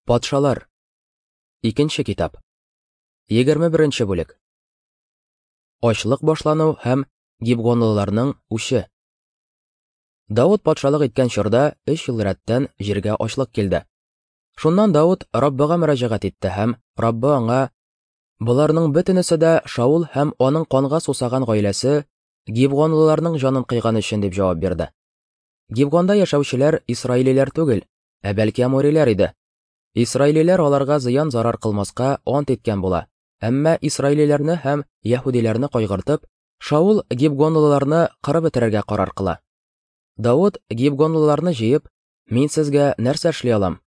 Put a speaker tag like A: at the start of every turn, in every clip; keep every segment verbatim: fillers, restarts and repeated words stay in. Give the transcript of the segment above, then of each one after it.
A: Патшалар. Икенче китап. Егерме беренче бүлек. Ачлык башлану һәм гибгонлыларның үче. Давыт патшалык иткән чорда өч ел рәттән җиргә ачлык килде. Шуннан Давыт Раббыга мөрәҗәгать итте һәм Раббы аңа: "Боларның бөтенесе дә Шаул һәм аның канга сусаган гаиләсе гибгонлыларның җанын кыйган өчен" дип җавап бирде. Гибгонда яшәүчеләр исраилиләр түгел, ә бәлки амориләр иде. Исраилиләр аларга зыян-зарар кылмаска ант иткән була. Әмма исраилиләрне һәм яһүдиләрне кайгыртып, Шаул гибгонлыларны кырып бетерергә карар кыла. Давыт гибгонлыларны җыеп: "Мин сезгә нәрсә эшли алам?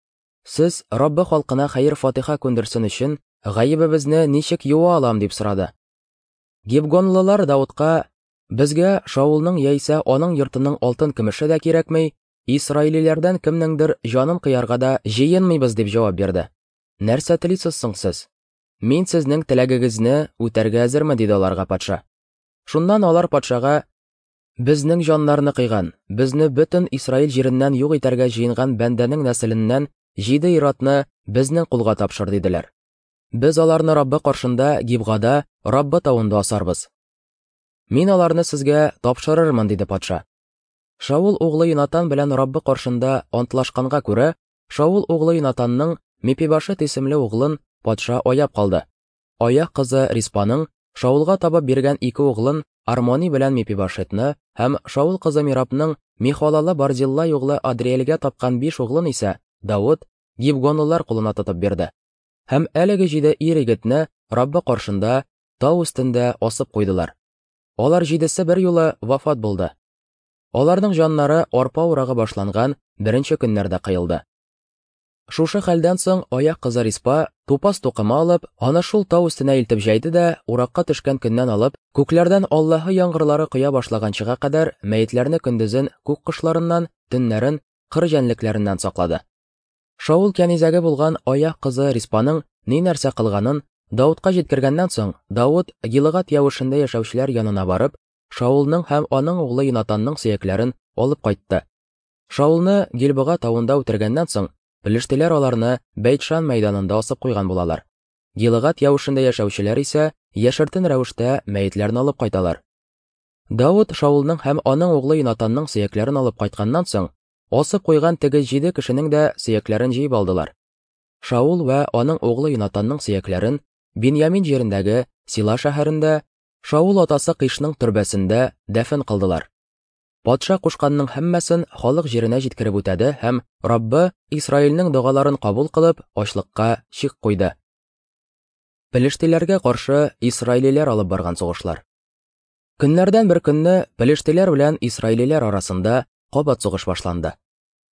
A: Сез Раббы халкына хәер-фатиха күндерсен өчен гаебебезне ничек юа алам?" дип сорады. Гибгонлылар Давытка: "Безгә Шаулның яисә аның йортының алтын көмеше дә кирәкми, исраилиләрдән кемнеңдер җанын кыярга да җыенмыйбыз" дип җавап бирде. "Нәрсә телисез соң сез? Мин сезнең теләгегезне үтәргә әзермен" диде аларга патша. Шуннан алар патшага: "Безнең җаннарны кыйган, безне бөтен Исраил җиреннән юк итәргә җыенган бәндәнең нәселеннән җиде ир-атны безнең кулга тапшыр" диделәр. "Без аларны Раббы каршында Гибгада, Раббы тавында асарбыз. Мин аларны сезгә тапшырырмын" диде патша. Шаул углы Йонатан белән Раббы каршында антлашканга күрә, Шаул углы Йонатанның Мепибашет исемле углын патша аяп калды. Аяк кызы Риспаның Шаулга табып биргән ике углын Армони белән Мепибашетны һәм Шаул кызы Мирабның Михолалы Барзиллай углы Адриэльгә тапкан биш углын исә Давыт гибгонлылар кулына тотып бирде. Һәм әлеге җиде ир-егетне Раббы каршында тау өстендә асып куйдылар. Алар җидесе бер юлы вафат булды. Аларның җаннары арпа урагы башланган беренче көннәрдә кыелды. Шушы хәлдән соң аяк кызы Риспа тупас тукыма алып, аны шул тау өстенә илтеп җәйде дә, уракка төшкән көннән алып, күкләрдән Аллаһы яңгырлары коя башлаганчыга кадәр мәетләрне көндезен күк кошларыннан, төннәрен кыр җәнлекләреннән саклады. Шаул кәнизәге булган аяк кызы Риспаның ни нәрсә кылганын Давытка җиткергәннән соң, Давыт Гилгат явышында яшәүчеләр янына барып, Шаулның һәм аның углы Йонатанның сөякләрен алып кайтты. Шаулны Гилбога тавында үтергәннән соң, пелештиләр аларны Бәйтшан мәйданында асып куйган булалар. Гилгат явышында яшәүчеләр исә яшертен рәвештә мәетләрне алып кайталар. Давыт Шаулның һәм аның углы Йонатанның сөякләрен алып кайтканнан соң, асып куйган теге җиде кешенең дә сөякләрен җыеп алдылар. Шаул вә аның углы Йонатанның сөякләрен Биньямин җирендәге Сила шәһәрендә Шаул атасы Кишның төрбәсендә дәфен кылдылар. Патша кушканның һәммәсен халык җиренә җиткереп үтәде һәм Раббы Исраилнең догаларын кабул кылып, ачлыкка чик куйды. Пелештиләргә каршы исраилиләр алып барган сугышлар. Көннәрдән бер көнне пелештиләр белән исраилиләр арасында кабат сугыш башланды.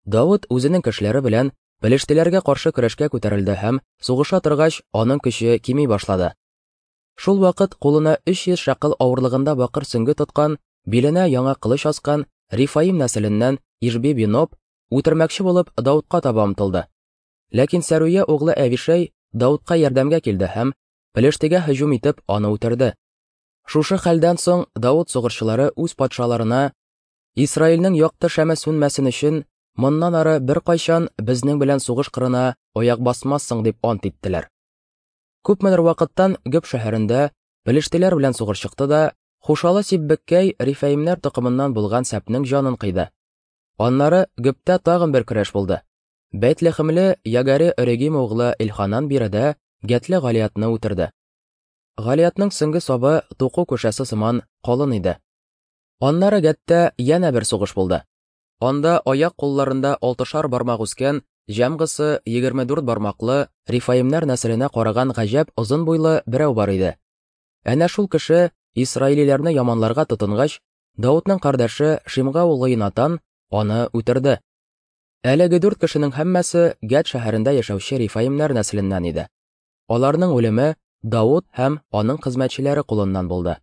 A: Давыт үзенең кешеләре белән пелештиләргә каршы көрәшкә күтәрелде һәм сугыша торгач аның көче кими башлады. Шул вакыт кулына өч йөз шәкел авырлыгында бакыр сөңге тоткан, биленә яңа кылыч аскан Рифаим нәселеннән Ишби Биноп үтермәкче булып Давытка таба омтылды. Ләкин Сәруя углы Әвишәй Давытка ярдәмгә килде һәм пелештигә һөҗүм итеп аны үтерде. Шушы хәлдән соң Давыт сугышчылары үз патшаларына: "Исраилнең якты шәме сүнмәсен өчен моннан ары беркайчан безнең белән сугыш кырына аяк басмассың" дип ант иттеләр. Күпмедер вакыттан Гөп шәһәрендә пелештиләр белән сугыш чыкты да, Хушалы Сиббеккәй Рифаимнәр токымыннан булган Сәпнең җанын кыйды. Аннары Гөптә тагын бер көрәш булды. Бәйтлехемле Ягаре Өрегим углы Илханан биредә Гәтле Галиятны үтерде. Галиятның сөңге сабы туку күшәсе сыман калын иде. Аннары Гәттә янә бер сугыш булды. Анда аяк кулларында алтышар бармак үскән, җәмгысы егерме дүрт бармаклы Рифаимнәр нәселенә караган гаҗәп озын буйлы берәү бар иде. Әнә шул кеше исраилиләрне яманларга тотынгач, Давытның кардәше Шимга углы Йонатан аны үтерде. Әлеге дүрт кешенең һәммәсе Гәт шәһәрендә яшәүче Рифаимнәр нәселеннән иде. Аларның үлеме Давыт һәм аның хезмәтчеләре кулыннан булды.